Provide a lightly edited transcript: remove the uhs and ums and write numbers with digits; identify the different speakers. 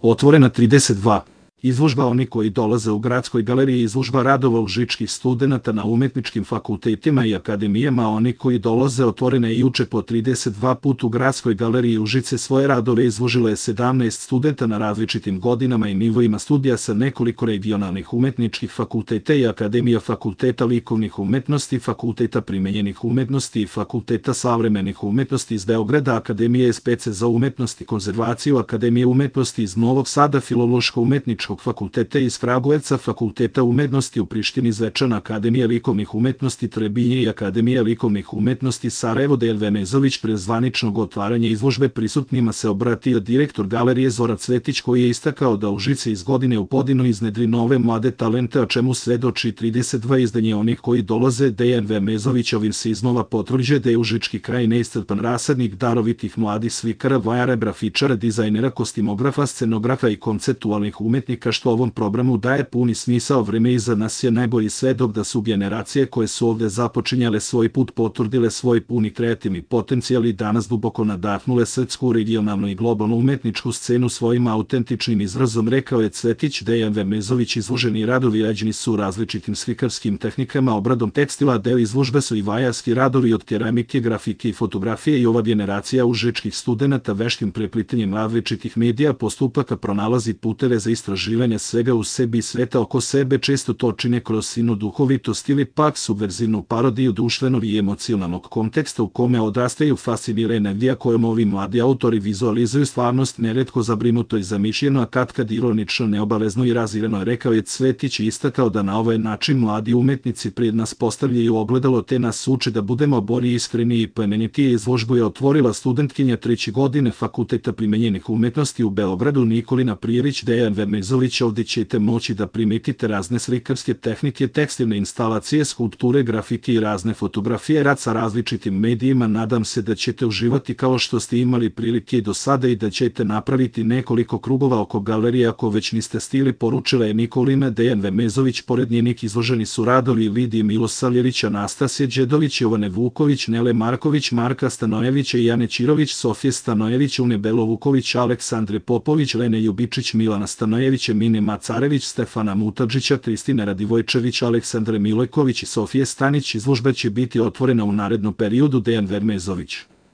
Speaker 1: Otvorena 32. Izložba Oni koji dolaze u Gradskoj galeriji. Izložba radova užičkih studenata na umetničkim fakultetima i akademijama. Oni koji dolaze otvorena je juče po 32 put u Gradskoj galeriji Užice. Svoje radove izložilo je 17 studenta na različitim godinama i nivoima studija sa nekoliko regionalnih umetničkih fakulteta i akademija, Fakulteta likovnih umetnosti, Fakulteta primenjenih umetnosti i Fakulteta savremenih umetnosti iz Beograda, Akademije SPC za umetnost i konzervaciju, Akademije umetnosti iz Novog Sada, Filološko-umetničkog fakulteta iz Kragujevca, Fakulteta umetnosti u Prištini, Zvečan, Akademija likovnih umetnosti Trebinje i Akademija likovnih umetnosti Sarajevo. Dejan Vemezović pre zvaničnog otvaranja izložbe prisutnima se obratio direktor galerije Zoran Cvetić, koji je istakao da Užice iz godine u godinu iznedri nove mlade talente, a čemu svedoči 32 izdanje Onih koji dolaze. Dejan Vemezović ovim se iznova potvrđuje da je užički kraj neiscrpan rasadnik darovitih mladih slikara, vajara, grafičara, dizajnera, kostimografa, scenografa i konceptualnih umetnika, što ovom programu daje puni smisao. Vreme iza nas je najbolji svedok da su generacije koje su ovde započinjale svoj put potvrdile svoj puni kreativni potencijal i danas duboko nadahnule srpsku, regionalnu i globalnu umetničku scenu svojim autentičnim izrazom, rekao je Cvetić. Dejan Vemezović izloženi radovi rađeni su različitim slikarskim tehnikama, obradom tekstila, deo izložbe su i vajarski radovi od keramike, grafike i fotografije i ova generacija užičkih studenata veštim preplitanjem različitih medija postupaka pronalazi puteve za istraživanje svega u sebi i sveta oko sebe. Često to čine kroz sinu duhovitost ili pak subverzivnu parodiju društvenog i emocionalnog konteksta u kome odrastaju, fascinira energija kojom ovi mladi autori vizualizuju stvarnost, neretko zabrinuto i zamišljeno, a katkad ironično, neobavezno i razirano, rekao je Cvetić i istakao da na ovaj način mladi umetnici pred nas postavljaju ogledalo te nas uče da budemo bolji, iskreni i plemenitiji. Izložbu je otvorila studentkinja 3. godine Fakulteta primenjenih umetnosti u Beogradu Nikolina Prijerić. Dejan Vemezović: ovdje ćete moći da primetite razne slikarske tehnike, tekstilne instalacije, skulpture, grafike i razne fotografije, rad sa različitim medijima. Nadam se da ćete uživati kao što ste imali prilike i do sada i da ćete napraviti nekoliko krugova oko galerije ako već niste stigli, poručila je Nikolina. Dejan Vemezović. Pored njenih izloženi su radovi Lidije Milosavljević, Anastasije Đedović, Jovane Vuković, Nele Marković, Marka Stanojevića i Jane Ćirović, Sofije Stanojević, Une Belovuković, Aleksandre Popović, Lene Ljubičić, Milana Stanojevića, Mine Macarević, Stefana Mutadžića, Kristine Radivojčević, Aleksandre Milojković i Sofije Stanić. Izložba će biti otvorena u narednom periodu. Dejan Vemezović.